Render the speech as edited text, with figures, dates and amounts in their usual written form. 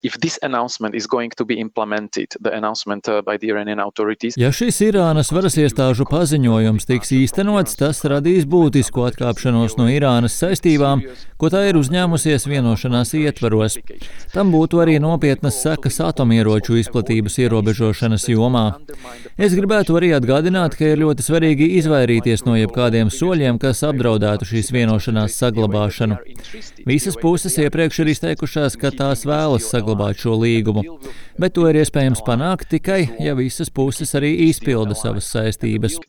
If this announcement is going to be implemented, the announcement by the Iranian authorities. Ja šis Irānas varas iestāžu paziņojums tiks īstenots, tas radīs būtisku atkāpšanos no Irānas saistībām, ko tā ir uzņēmusies vienošanās ietvaros. Tam būtu arī nopietnas sekas atomieroču izplatības ierobežošanas jomā. Es gribētu arī atgādināt, ka ir ļoti svarīgi izvairīties no jebkādiem soļiem, kas apdraudētu šīs vienošanās saglabāšanu. Visas puses iepriekš ir izteikušās, ka tās vēlas saglabāt šo līgumu, bet to ir iespējams panākt tikai, ja visas puses arī izpilda savas saistības.